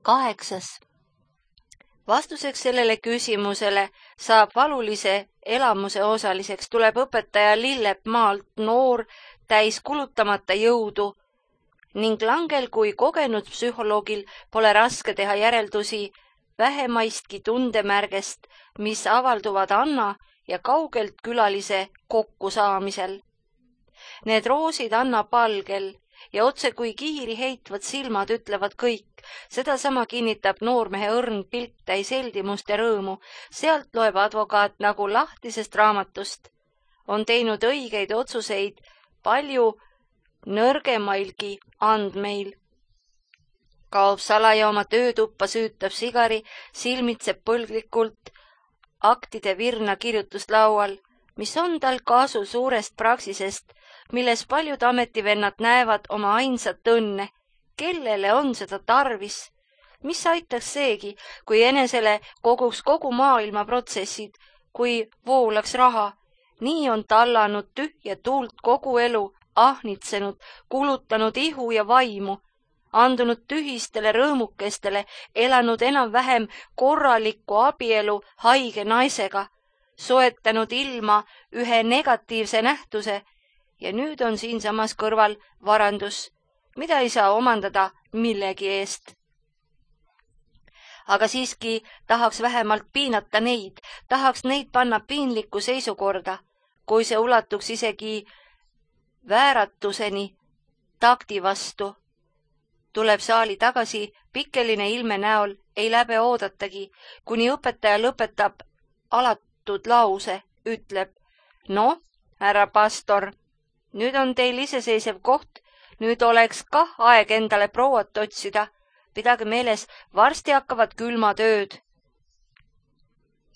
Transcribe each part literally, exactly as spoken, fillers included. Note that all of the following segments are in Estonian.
Kaheksas. Vastuseks sellele küsimusele saab valulise elamuse osaliseks, tuleb õpetaja Lillep maalt noor, täis kulutamata jõudu ning Langel kui kogenud psühholoogil pole raske teha järeldusi vähemaistki tundemärgest, mis avalduvad Anna ja kaugelt külalise kokkusaamisel. Need roosid Anna palgel ja otse kui kiiri heitvad silmad ütlevad kõik. Seda sama kinnitab noormehe õrn pilk täis heldimust ja rõõmu. Sealt loeb advokaat nagu lahtisest raamatust. On teinud õigeid otsuseid palju nõrgemailgi andmeil. Kaob salaja oma töötuppa, süütab sigari, silmitseb põlglikult aktide virna kirjutuslaual, mis on tal kasu suurest praksisest, milles paljud ametivennad näevad oma ainsat õnne. Kellele on seda tarvis? Mis aitaks seegi, kui enesele koguks kogu maailma protsessid, kui voolaks raha? Nii on tallanud tühja tuult kogu elu, ahnitsenud, kulutanud ihu ja vaimu, andunud tühistele rõõmukestele, elanud enam-vähem korralikku abielu haige naisega, soetanud ilma ühe negatiivse nähtuse ja nüüd on siinsamas kõrval varandus, mida ei saa omandada millegi eest. Aga siiski tahaks vähemalt piinata neid, tahaks neid panna piinlikku seisukorda, kui see ulatuks isegi vääratuseni takti vastu. Tuleb saali tagasi pikkeline ilme näol, ei läbe oodatagi, kuni õpetaja lõpetab alatud lause, ütleb, no, härra pastor, nüüd on teil iseseisev koht, nüüd oleks kah aeg endale prouat otsida. Pidage meeles, varsti hakkavad külmatööd.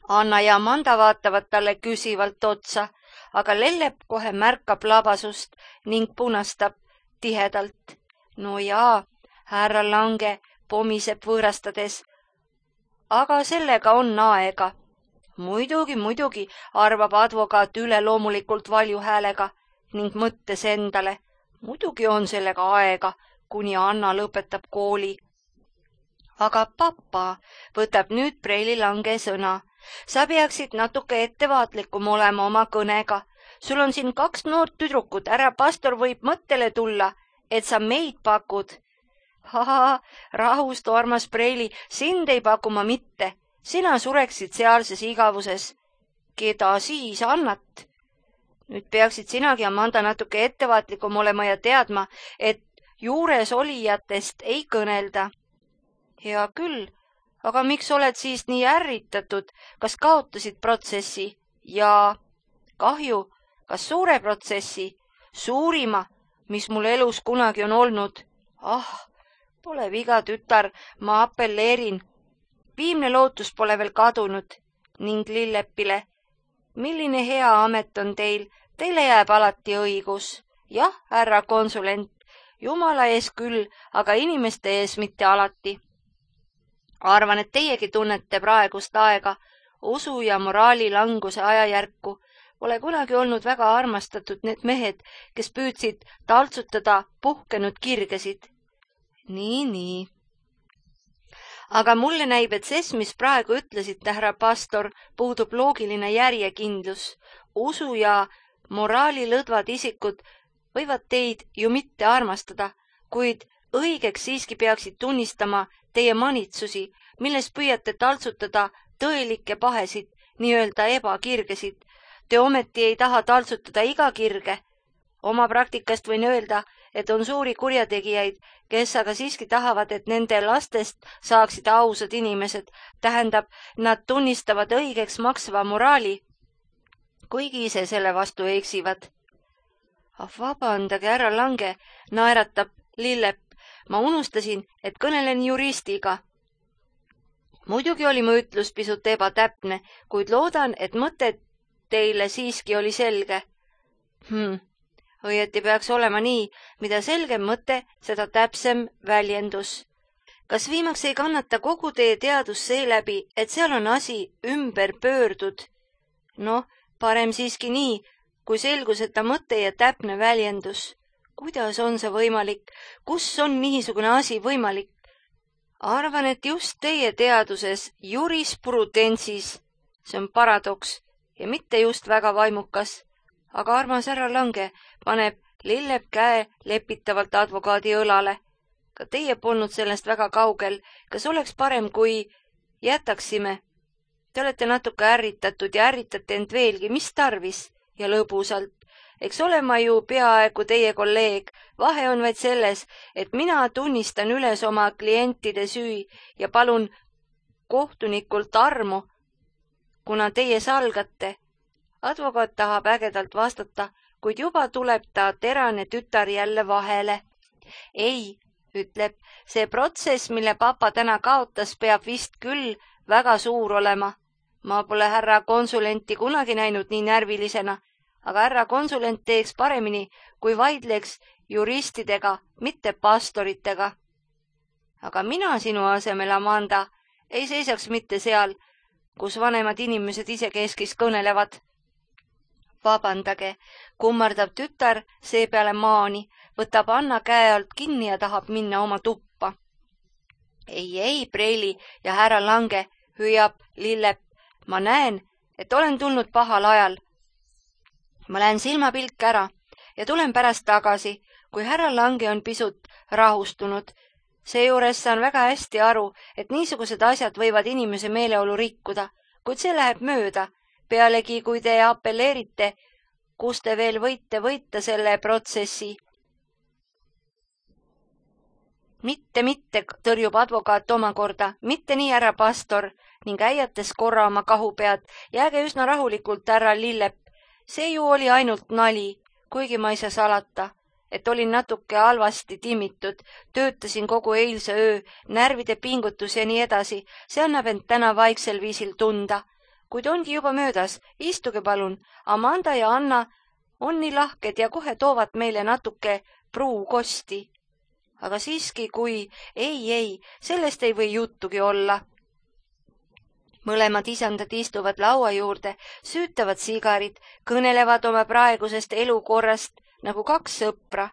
Anna ja Amanda vaatavad talle küsivalt otsa, aga Lellep kohe märkab labasust ning punastab tihedalt. No jaa, härra Lange pomiseb võõrastades. Aga sellega on aega. Muidugi, muidugi, arvab advokaat üleloomulikult valju häälega ning mõttes endale. Muidugi on sellega aega, kuni Anna lõpetab kooli. Aga papa, võtab nüüd Preili Lange sõna. Sa peaksid natuke ettevaatlikum olema oma kõnega. Sul on siin kaks noort tüdrukut, härra pastor võib mõttele tulla, et sa meid pakud. Haha, rahust, armas Preili, sind ei paku ma mitte. Sina sureksid sealses igavuses. Keda siis annat? Nüüd peaksid sinagi, Amanda, natuke ettevaatlikum olema ja teadma, et juures olijatest ei kõnelda. Hea küll, aga miks oled siis nii ärritatud? Kas kaotasid protsessi? Jaa, kahju, kas suure protsessi? Suurima, mis mul elus kunagi on olnud. Ah, pole viga, tütar, ma apelleerin. Viimne lootus pole veel kadunud ning Lillepile. Milline hea amet on teil? Teile jääb alati õigus. Jah, härra konsulent, jumala ees küll, aga inimeste ees mitte alati. Arvan, et teiegi tunnete praegust aega, usu ja moraali languse ajajärku. Pole kunagi olnud väga armastatud need mehed, kes püüdsid taltsutada puhkenud kirgesid. Nii, nii. Aga mulle näib, et ses, mis praegu ütlesite, härra pastor, puudub loogiline järjekindlus. Usu ja moraali lõdvad isikud võivad teid ju mitte armastada, kuid õigeks siiski peaksid tunnistama teie manitsusi, milles püüate taltsutada tõelikke pahesid, nii-öelda ebakirgesid. Te ometi ei taha taltsutada iga kirge. Oma praktikast võin öelda, et on suuri kurjategijaid, kes aga siiski tahavad, et nende lastest saaksid ausad inimesed. Tähendab, nad tunnistavad õigeks maksva moraali, kuigi ise selle vastu eksivad. Vabandage, härra Lange, naeratab Lillep. Ma unustasin, et kõnelen juristiga. Muidugi oli mu ütlus pisut ebatäpne, kuid loodan, et mõte teile siiski oli selge. Hmm. Õieti peaks olema nii, mida selgem mõte, seda täpsem väljendus. Kas viimaks ei kannata kogu teie teadus seeläbi, et seal on asi ümber pöördud? Noh, parem siiski nii, kui selguseta mõte ja täpne väljendus. Kuidas on see võimalik? Kus on niisugune asi võimalik? Arvan, et just teie teaduses jurisprudensis, see on paradoks ja mitte just väga vaimukas, aga armas härra Lange paneb Lillep käe lepitavalt advokaadi õlale. Ka teie polnud sellest väga kaugel. Kas oleks parem, kui jätaksime? Te olete natuke ärritatud ja ärritate end veelgi, mis tarvis ja lõbusalt. Eks ole ma ju peaaegu teie kolleeg. Vahe on vaid selles, et mina tunnistan üles oma klientide süü ja palun kohtunikult armu, kuna teie salgate. Advokaat tahab ägedalt vastata, kuid juba tuleb ta terane tütar jälle vahele. Ei, ütleb, see protsess, mille papa täna kaotas, peab vist küll väga suur olema. Ma pole härra konsulenti kunagi näinud nii närvilisena, aga härra konsulent teeks paremini, kui vaidleks juristidega, mitte pastoritega. Aga mina sinu asemel, Amanda, ei seisaks mitte seal, kus vanemad inimesed isekeskis kõnelevad. Vabandage, kummardab tütar seepeale maani, võtab Anna käe alt kinni ja tahab minna oma tuppa. Ei, ei, Preili ja härra Lange, hüüab Lillep. Ma näen, et olen tulnud pahal ajal. Ma lähen silmapilk ära ja tulen pärast tagasi, kui härra Lange on pisut rahustunud. Seejuures saan väga hästi aru, et niisugused asjad võivad inimese meeleolu rikkuda, kuid see läheb mööda. Pealegi, kui te apelleerite, kus te veel võite võita selle protsessi. Mitte, mitte, tõrjub advokaat omakorda, mitte nii, härra pastor, ning äiates korra oma kahupead, jääge üsna rahulikult, härra Lillep. See ju oli ainult nali, kuigi ma ei saa salata, et olin natuke halvasti timmitud, töötasin kogu eilse öö, närvide pingutus ja nii edasi, see annab end täna vaiksel viisil tunda. Kuid ongi juba möödas, istuge palun, Amanda ja Anna on nii lahked ja kohe toovad meile natuke pruukosti. Aga siiski, kui ei, ei, sellest ei või juttugi olla. Mõlemad isandad istuvad laua juurde, süütavad sigarid, kõnelevad oma praegusest elukorrast nagu kaks sõpra.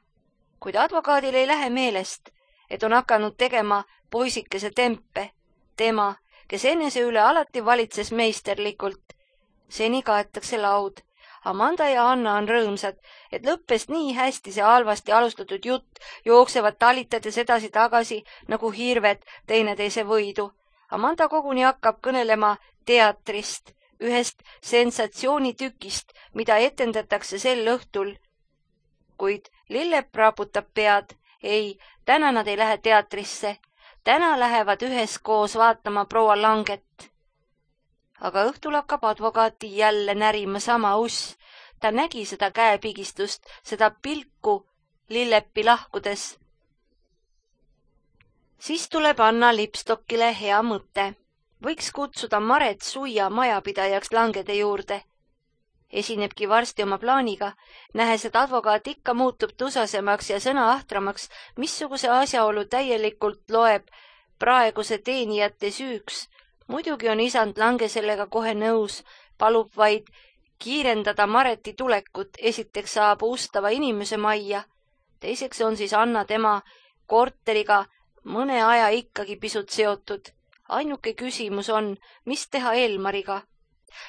Kuid advokaadil ei lähe meelest, et on hakanud tegema poisikese tempe, tema, kes enese üle alati valitses meisterlikult. Seni kaetakse laud. Amanda ja Anna on rõõmsad, et lõppes nii hästi see halvasti alustatud jutt, jooksevad talitades edasi-tagasi nagu hirved teineteise võidu. Amanda koguni hakkab kõnelema teatrist, ühest sensatsioonitükist, mida etendatakse sel õhtul. Kuid Lillep raputab pead. Ei, täna nad ei lähe teatrisse. Täna lähevad üheskoos vaatama proua Langet. Aga õhtul hakkab advokaati jälle närima sama uss. Ta nägi seda käepigistust, seda pilku Lillepi lahkudes. Siis tuleb Anna Lipstockile hea mõte. Võiks kutsuda Maret Suia majapidajaks Langede juurde. Esinebki varsti oma plaaniga, nähes, et advokaat ikka muutub tusasemaks ja sõna ahtramaks, missuguse asjaolu täielikult loeb praeguse teenijate süüks. Muidugi on isand Lange sellega kohe nõus, palub vaid kiirendada Mareti tulekut, esiteks saab ustava inimese majja. Teiseks on siis Anna tema korteriga mõne aja ikkagi pisut seotud. Ainuke küsimus on, mis teha Elmariga.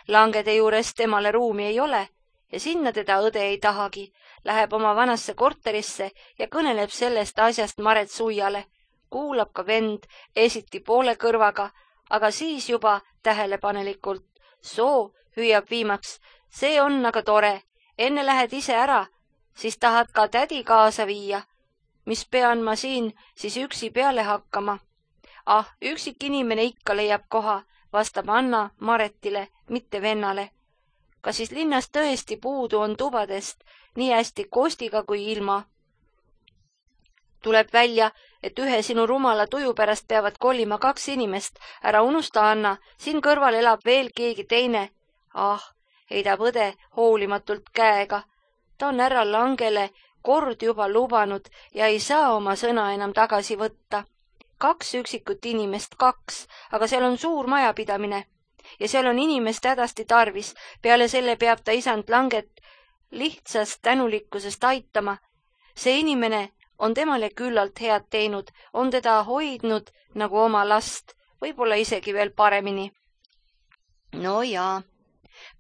Langede juures temale ruumi ei ole ja sinna teda õde ei tahagi. Läheb oma vanasse korterisse ja kõneleb sellest asjast Maret Suiale. Kuulab ka vend esiti poole kõrvaga, aga siis juba tähelepanelikult. Soo, hüüab viimaks, see on aga tore. Enne lähed ise ära, siis tahad ka tädi kaasa viia. Mis pean ma siin siis üksi peale hakkama? Ah, üksik inimene ikka leiab koha, vastab Anna Maretile, mitte vennale. Kas siis linnas tõesti puudu on tubadest, nii hästi kostiga kui ilma? Tuleb välja, et ühe sinu rumala tuju pärast peavad kolima kaks inimest. Ära unusta, Anna, siin kõrval elab veel keegi teine. Ah, heidab õde hoolimatult käega. Ta on härra Langele kord juba lubanud ja ei saa oma sõna enam tagasi võtta. Kaks üksikut inimest, kaks, aga seal on suur majapidamine ja seal on inimest hädasti tarvis. Peale selle peab ta isand Langet lihtsast tänulikkusest aitama. See inimene on temale küllalt head teinud, on teda hoidnud nagu oma last, võib-olla isegi veel paremini. No jaa,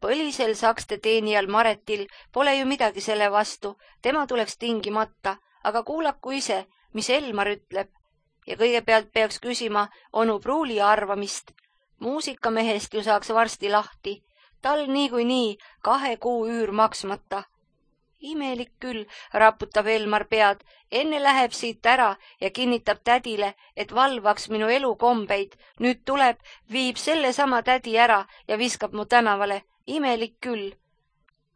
põlisel sakste teenijal Maretil pole ju midagi selle vastu, tema tuleks tingimata, aga kuulaku ise, mis Elmar ütleb. Ja kõigepealt peaks küsima onu Pruuli arvamist. Muusikamehest ju saaks varsti lahti, tal niikuinii kahe kuu üür maksmata. Imelik küll, raputab Elmar pead, enne läheb siit ära ja kinnitab tädile, et valvaks minu elukombeid. Nüüd tuleb, viib selle sama tädi ära ja viskab mu tänavale. Imelik küll.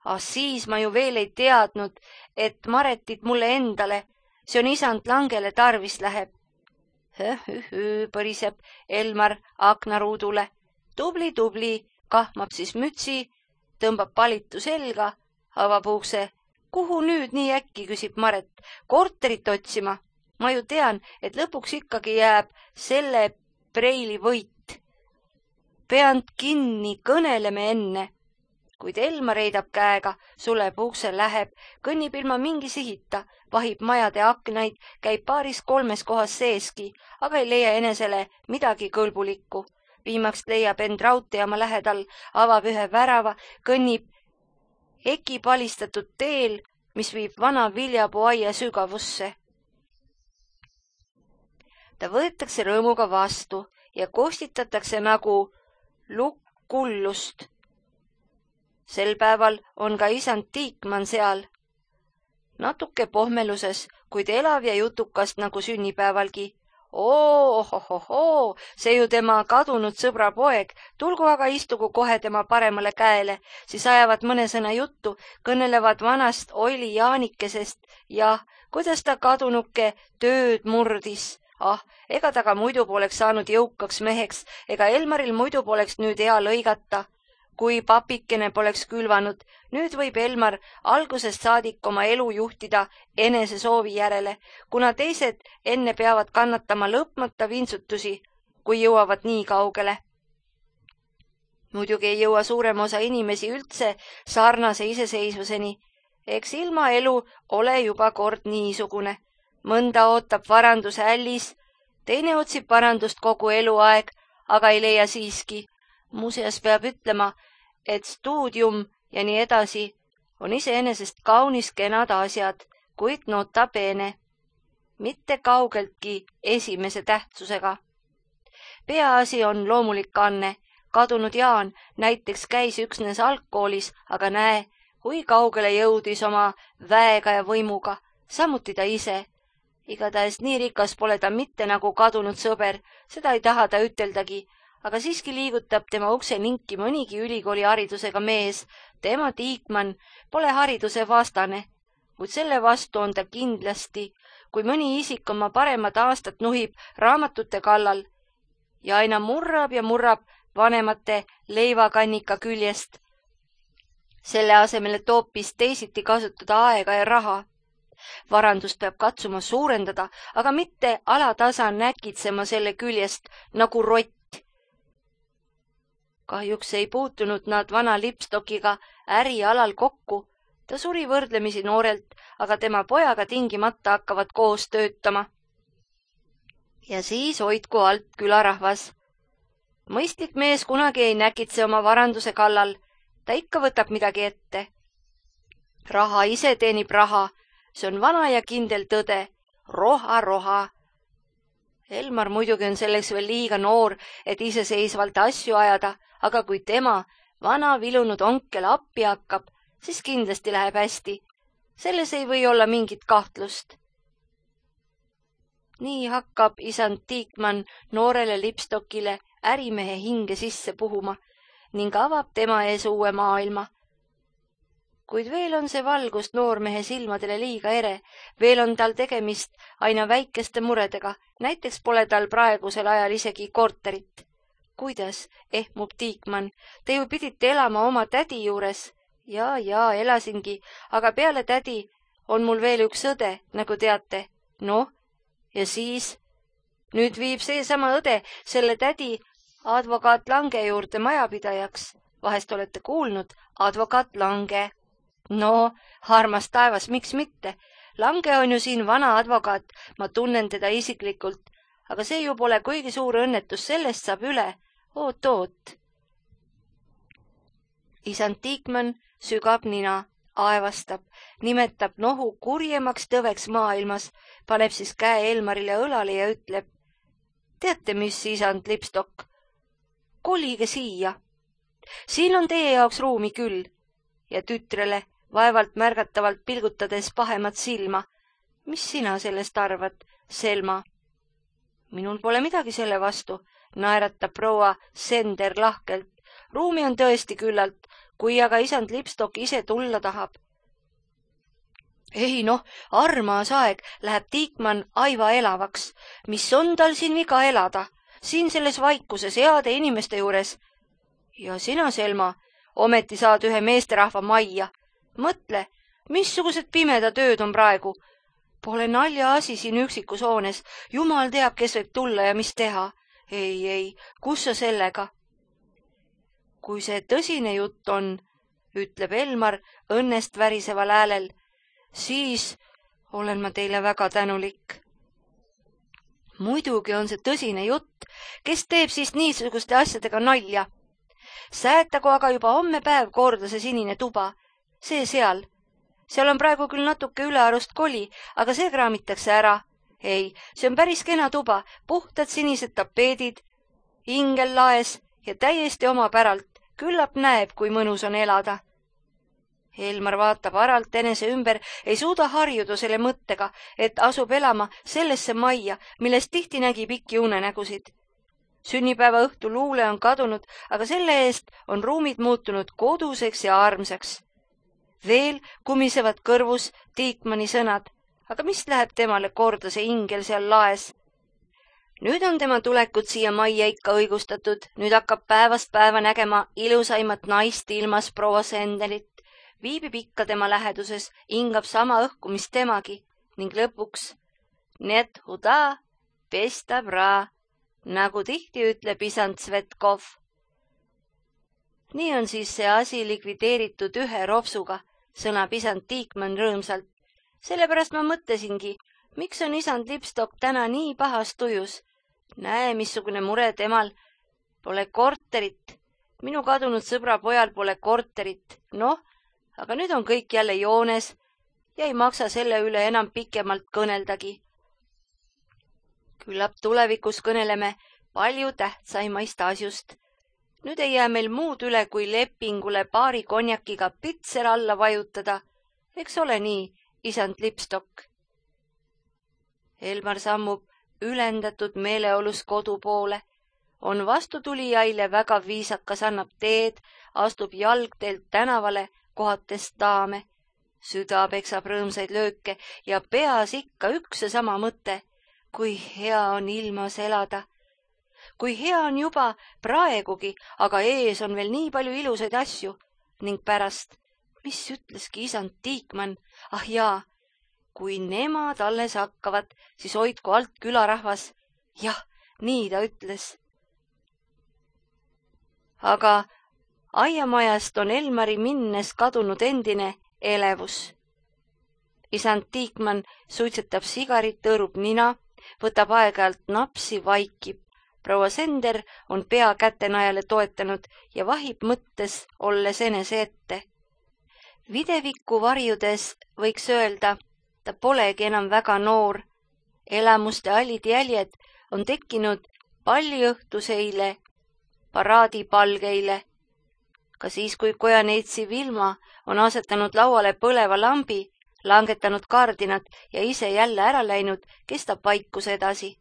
Ah, siis ma ju veel ei teadnud, et Maretit mulle endale, see on isand Langele tarvis läheb. Höh-höh-höh, põriseb Elmar aknaruudule. Tubli, tubli, kahmab siis mütsi, tõmbab palitu selga, avab ukse. Kuhu nüüd nii äkki, küsib Maret. Korterit otsima. Ma ju tean, et lõpuks ikkagi jääb selle preili võit. Peand kinni, kõneleme enne. Kuid Elmar heidab käega, suleb ukse, läheb, kõnnib ilma mingi sihita, vahib majade aknaid, käib paaris kolmes kohas seeski, aga ei leia enesele midagi kõlbulikku. Viimaks leiab end raudteejaama lähedal, avab ühe värava, kõnnib eki palistatud teel, mis viib vana viljapuuaia sügavusse. Ta võetakse rõõmuga vastu ja kostitatakse nagu lukkullust. Sel päeval on ka isand Tiikman seal. Natuke pohmeluses, kuid elav ja jutukast nagu sünnipäevalgi. Oo, ohohohoo, see ju tema kadunud sõbra poeg, tulgu aga istugu kohe tema paremale käele, siis ajavad mõne sõna juttu, kõnelevad vanast Oili Jaanikesest ja kuidas ta kadunuke tööd murdis. Ah, ega ta ka muidu poleks saanud jõukaks meheks, ega Elmaril muidu poleks nüüd hea lõigata, kui papikene poleks külvanud. Nüüd võib Elmar algusest saadik oma elu juhtida enese soovi järele, kuna teised enne peavad kannatama lõpmata vintsutusi, kui jõuavad nii kaugele. Muidugi ei jõua suurem osa inimesi üldse sarnase iseseisvuseni. Eks ilma elu ole juba kord niisugune. Mõnda ootab varanduse ällis, teine otsib varandust kogu eluaeg, aga ei leia siiski. Muuseas peab ütlema, et stuudium ja nii edasi on iseenesest kaunis kenad asjad, kuid nota bene, mitte kaugeltki esimese tähtsusega. Peaasi on loomulik anne. Kadunud Jaan näiteks käis üksnes algkoolis, aga näe, kui kaugele jõudis oma väega ja võimuga, samuti ta ise. Igatahes nii rikas pole ta mitte nagu kadunud sõber, seda ei taha ta üteldagi, aga siiski liigutab tema ukse linki mõnigi ülikooli haridusega mees. Tema Tiikman pole hariduse vastane, kuid selle vastu on ta kindlasti, kui mõni isik oma paremat aastat nuhib raamatute kallal ja aina murrab ja murrab vanemate leivakannika küljest, selle asemel, et hoopis teisiti kasutada aega ja raha. Varandust peab katsuma suurendada, aga mitte alatasa näkitsema selle küljest nagu rott. Kahjuks ei puutunud nad vana lipstokiga ärialal kokku. Ta suri võrdlemisi noorelt, aga tema pojaga tingimata hakkavad koos töötama. Ja siis hoidku alt külarahvas. Mõistlik mees kunagi ei näkitse oma varanduse kallal. Ta ikka võtab midagi ette. Raha ise teenib raha. See on vana ja kindel tõde. Roha, roha. Elmar muidugi on selleks veel liiga noor, et iseseisvalt asju ajada, aga kui tema, vana vilunud onkel appi hakkab, siis kindlasti läheb hästi. Selles ei või olla mingit kahtlust. Nii hakkab isand Tiikman noorele lipstokile ärimehe hinge sisse puhuma ning avab tema ees uue maailma. Kuid veel on see valgust noormehe silmadele liiga ere, veel on tal tegemist aina väikeste muredega, näiteks pole tal praegusel ajal isegi korterit. Kuidas, ehmub Tiikman, te ju pidite elama oma tädi juures. Ja, ja, elasingi, aga peale tädi on mul veel üks õde, nagu teate. Noh, ja siis? Nüüd viib seesama õde selle tädi advokaat Lange juurde majapidajaks. Vahest olete kuulnud, advokaat Lange. No, armas taevas, miks mitte? Lange on ju siin vana advokaat, ma tunnen teda isiklikult, aga see ju pole kuigi suur õnnetus, sellest saab üle. Oot, oot. Isand Tiikmann sügab nina, aevastab, nimetab nohu kurjemaks tõveks maailmas, paneb siis käe Elmarile õlale ja ütleb: teate, mis, isand Lipstok, kolige siia. Siin on teie jaoks ruumi küll. Ja tütrele vaevalt märgatavalt pilgutades pahemat silma: mis sina sellest arvad, Selma? Minul pole midagi selle vastu, naeratab proua Sender lahkelt. Ruumi on tõesti küllalt, kui aga isand Lipstok ise tulla tahab. Ei noh, armas aeg, läheb Tiikmann aiva elavaks. Mis on tal siin viga elada? Siin selles vaikuses heade inimeste juures. Ja sina, Selma, ometi saad ühe meesterahva majja. Mõtle, missugused pimeda tööd on praegu. Pole nalja asi siin üksikus hoones. Jumal teab, kes võib tulla ja mis teha. Ei, ei, kus sa sellega? Kui see tõsine jutt on, ütleb Elmar õnnest väriseval häälel, siis olen ma teile väga tänulik. Muidugi on see tõsine jutt, kes teeb siis niisuguste asjadega nalja. Säätagu aga juba homme päev korda see sinine tuba, see seal. Seal on praegu küll natuke ülearust koli, aga see kraamitakse ära. Ei, see on päris kena tuba, puhtad sinised tapeedid, ingel laes ja täiesti omapäralt. Küllap näeb, kui mõnus on elada. Elmar vaatab aralt enese ümber, ei suuda harjuda selle mõttega, et asub elama sellesse majja, millest tihti nägi pikki unenägusid. Sünnipäeva õhtu luule on kadunud, aga selle eest on ruumid muutunud koduseks ja armsaks. Veel kumisevad kõrvus Tiikmanni sõnad, aga mis läheb temale korda see ingel seal laes? Nüüd on tema tulekud siia majja ikka õigustatud, nüüd hakkab päevast päeva nägema ilusaimat naist ilmas proua Senderit, viibib ikka tema läheduses, hingab sama õhku, mis temagi, ning lõpuks net huda, pesta bra, nagu tihti ütleb isand Svetkov. Nii on siis see asi likvideeritud ühe ropsuga, sõnab isand Tiikmann rõõmsalt. Sellepärast ma mõtlesingi, miks on isand Lipstok täna nii pahas tujus. Näe, missugune mure temal. Pole korterit. Minu kadunud sõbra pojal pole korterit. Noh, aga nüüd on kõik jälle joones ja ei maksa selle üle enam pikemalt kõneldagi. Küllap tulevikus kõneleme palju tähtsaimaist asjust. Nüüd ei jää meil muud üle, kui lepingule paari konjakiga pitser alla vajutada. Eks ole nii, isand Lipstok? Elmar sammub ülendatud meeleolus kodu poole. On vastutulijaile väga viisakas, annab teed, astub jalgteelt tänavale, kohates daame. Süda peksab rõõmsaid lööke ja peas ikka üks ja sama mõte. Kui hea on ilmas elada. Kui hea on juba praegugi, aga ees on veel nii palju ilusaid asju. Ning pärast, mis ütleski isand Tiikmann? Ah jaa, kui nemad alles hakkavad, siis hoidku alt külarahvas. Jah, nii ta ütles. Aga aiamajast on Elmari minnes kadunud endine elevus. Isand Tiikmann suitsetab sigarit, tõõrub nina, võtab aeg-ajalt napsi, vaikib. Proua Sender on pea kätenajale toetanud ja vahib mõttes, olles enese ette. Videvikku varjudes võiks öelda, ta polegi enam väga noor. Elamuste allid jäljed on tekkinud palliõhtuseile, paraadipalgeile. Ka siis, kui kojaneitsi Vilma on asetanud lauale põleva lambi, langetanud kardinat ja ise jälle ära läinud, kestab vaikus edasi.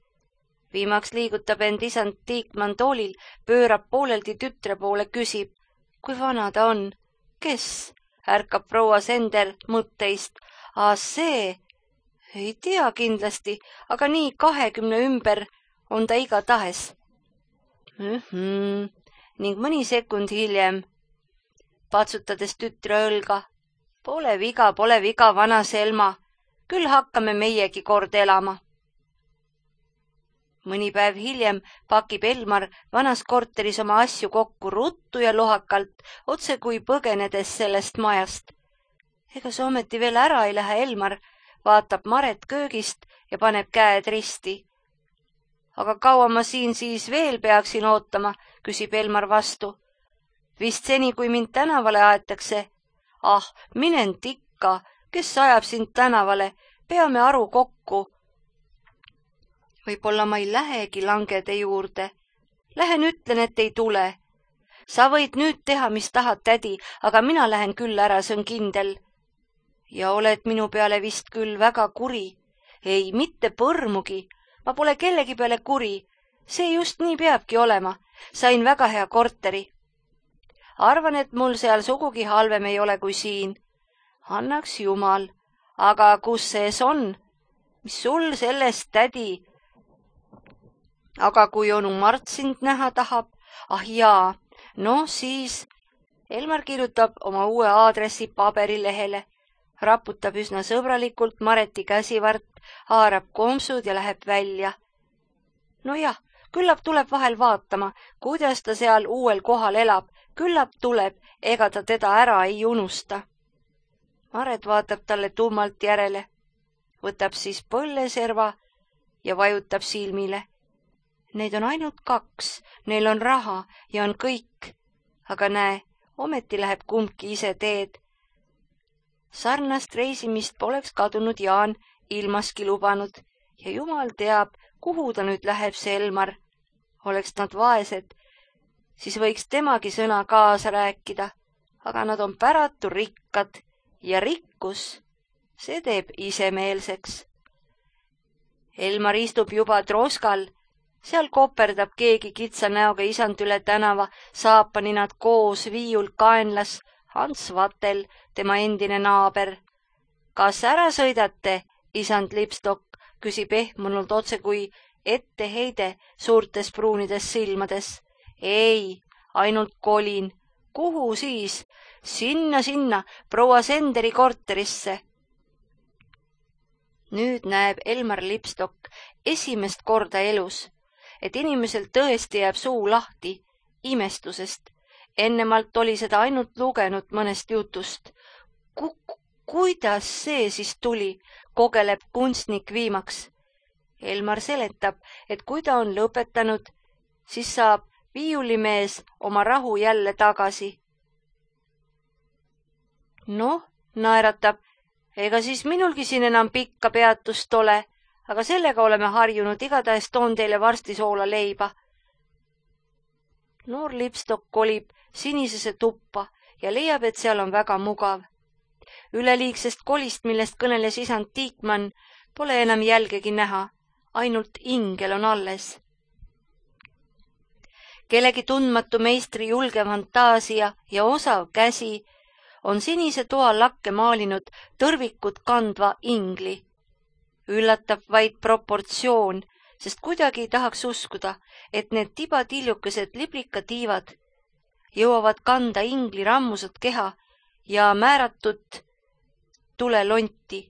Viimaks liigutab end isand Tiikmann toolil, pöörab pooleldi tütre poole, küsib, kui vana ta on. Kes? Ärkab proua Sender mõtteist. Aa, see? Ei tea kindlasti, aga nii kahekümne ümber on ta igatahes. Mm-hmm. Ning mõni sekund hiljem, patsutades tütre õlga. Pole viga, pole viga, vana Selma. Küll hakkame meiegi kord elama. Mõni päev hiljem pakib Elmar vanas korteris oma asju kokku ruttu ja lohakalt, otse kui põgenedes sellest majast. Ega see ometi veel ära ei lähe, Elmar, vaatab Maret köögist ja paneb käed risti. Aga kaua ma siin siis veel peaksin ootama, küsib Elmar vastu. Vist seni, kui mind tänavale aetakse. Ah, minen tikka, kes ajab sind tänavale, peame aru kokku. Võib-olla ma ei lähegi Langede juurde. Lähen ütlen, et ei tule. Sa võid nüüd teha, mis tahad, tädi, aga mina lähen küll ära, see on kindel. Ja oled minu peale vist küll väga kuri. Ei, mitte põrmugi. Ma pole kellegi peale kuri. See just nii peabki olema. Sain väga hea korteri. Arvan, et mul seal sugugi halvem ei ole kui siin. Annaks jumal. Aga kus sees on? Mis sul sellest, tädi? Aga kui onu Mart sind näha tahab? Ah jaa, no siis... Elmar kirjutab oma uue aadressi paberilehele, raputab üsna sõbralikult Mareti käsivart, haarab kompsud ja läheb välja. Nojah, küllap tuleb vahel vaatama, kuidas ta seal uuel kohal elab. Küllap tuleb, ega ta teda ära ei unusta. Maret vaatab talle tummalt järele, võtab siis põlleserva ja vajutab silmile. Neid on ainult kaks, neil on raha ja on kõik. Aga näe, ometi läheb kumbki ise teed. Sarnast reisimist poleks kadunud Jaan ilmaski lubanud ja jumal teab, kuhu ta nüüd läheb, see Elmar. Oleks nad vaesed, siis võiks temagi sõna kaasa rääkida, aga nad on päratu rikkad ja rikkus, see teeb isemeelseks. Elmar istub juba troskal, seal koperdab keegi kitsa näoga isand üle tänava, saapani nad koos viiul kaenlas, Hans Vatel, tema endine naaber. Kas ära sõidate, isand Lipstok, küsib ehmunult otse kui etteheide suurtes pruunides silmades. Ei, ainult kolin. Kuhu siis? Sinna, sinna, proua Senderi korterisse. Nüüd näeb Elmar Lipstok esimest korda elus, et inimesel tõesti jääb suu lahti imestusest. Ennemalt oli seda ainult lugenud mõnest jutust. Ku kuidas see siis tuli, kogeleb kunstnik viimaks. Elmar seletab, et kui ta on lõpetanud, siis saab viiulimees oma rahu jälle tagasi. Noh, naeratab, ega siis minulgi siin enam pikka peatust ole, aga sellega oleme harjunud, igatahes toon teile varsti soola leiba. Noor Lipstok kolib sinisesse tuppa ja leiab, et seal on väga mugav. Üleliigsest kolist, millest kõneles isand Tiikmann, pole enam jälgegi näha, ainult ingel on alles. Kellegi tundmatu meistri julge fantaasia ja osav käsi on sinise toa lakke maalinud tõrvikut kandva ingli. Üllatab vaid proportsioon, sest kuidagi ei tahaks uskuda, et need tibatiljukesed liblikatiivad jõuavad kanda ingli rammusat keha ja määratud tulelonti,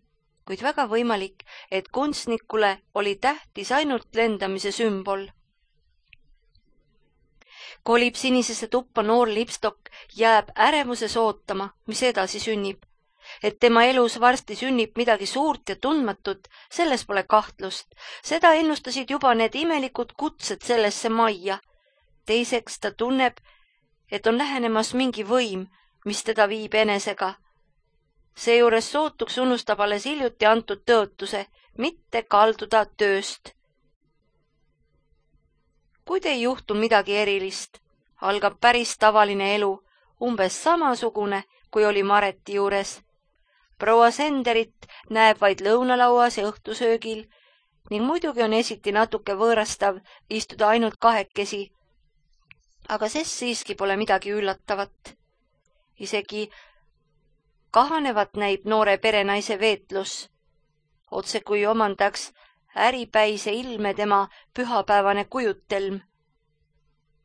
kuid väga võimalik, et kunstnikule oli tähtis ainult lendamise sümbol. Kolib sinisesse tuppa noor Lipstok, jääb ärevuses ootama, mis edasi sünnib. Et tema elus varsti sünnib midagi suurt ja tundmatut, selles pole kahtlust. Seda ennustasid juba need imelikud kutsed sellesse majja. Teiseks ta tunneb, et on lähenemas mingi võim, mis teda viib enesega. Seejuures sootuks unustab alles hiljuti antud tõotuse, mitte kalduda tööst. Kuid ei juhtu midagi erilist, algab päris tavaline elu, umbes samasugune, kui oli Mareti juures. Proua Senderit näeb vaid lõunalauas ja õhtusöögil ning muidugi on esiti natuke võõrastav istuda ainult kahekesi, aga sest siiski pole midagi üllatavat. Isegi kahanevat näib noore perenaise veetlus, otse kui omandaks äripäise ilme tema pühapäevane kujutelm.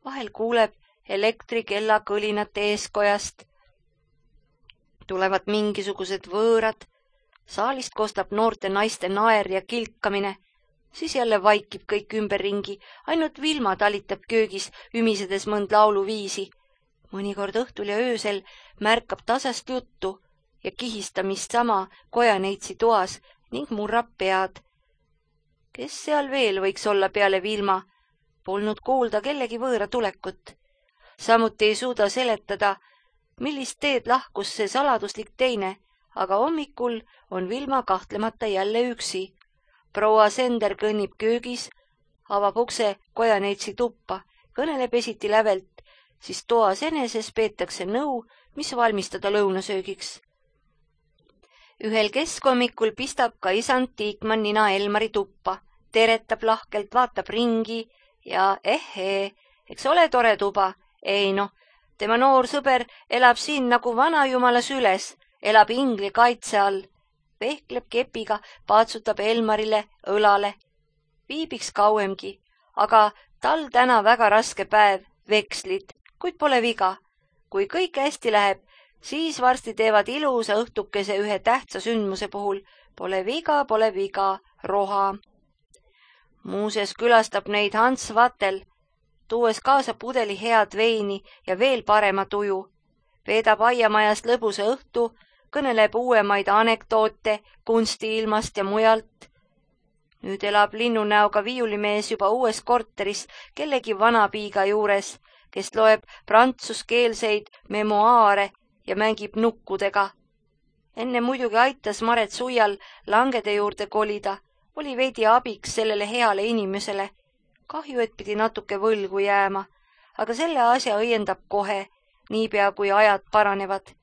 Vahel kuuleb elektrikella kõlinat eeskojast. Tulevad mingisugused võõrad, saalist kostab noorte naiste naer ja kilkamine, siis jälle vaikib kõik ümberringi, ainult Vilma talitab köögis, ümisedes mõnd lauluviisi. Mõnikord õhtul ja öösel märkab tasast juttu ja kihistamist sama kojaneitsi toas, ning murrab pead. Kes seal veel võiks olla peale Vilma? Polnud kuulda kellegi võõra tulekut. Samuti ei suuda seletada, millist teed lahkus see saladuslik teine, aga hommikul on Vilma kahtlemata jälle üksi. Proua Sender kõnnib köögis, avab ukse kojaneitsi tuppa, kõneleb esiti lävelt, siis toas eneses peetakse nõu, mis valmistada lõunasöögiks. Ühel keskhommikul pistab ka isand Tiikmann nina Elmari tuppa, teretab lahkelt, vaatab ringi ja ehhee, eks ole tore tuba? Ei noh, tema noor sõber elab siin nagu vanajumala süles, elab ingli kaitse all, vehkleb kepiga, paatsutab Elmarile õlale. Viibiks kauemgi, aga tal täna väga raske päev, vekslid, kuid pole viga. Kui kõik hästi läheb, siis varsti teevad ilusa õhtukese ühe tähtsa sündmuse puhul. Pole viga, pole viga, roha. Muuses külastab neid Hans Vatel, tuues kaasa pudeli head veini ja veel parema tuju. Veedab aiamajast lõbusa õhtu, kõneleb uuemaid anekdoote kunstiilmast ja mujalt. Nüüd elab linnunäoga viiulimees juba uues korteris kellegi vanapiiga juures, kes loeb prantsuskeelseid memoaare ja mängib nukkudega. Enne muidugi aitas Maret Suial Langede juurde kolida, oli veidi abiks sellele heale inimesele. Kahju, et pidi natuke võlgu jääma, aga selle asja õiendab kohe, niipea kui ajad paranevad.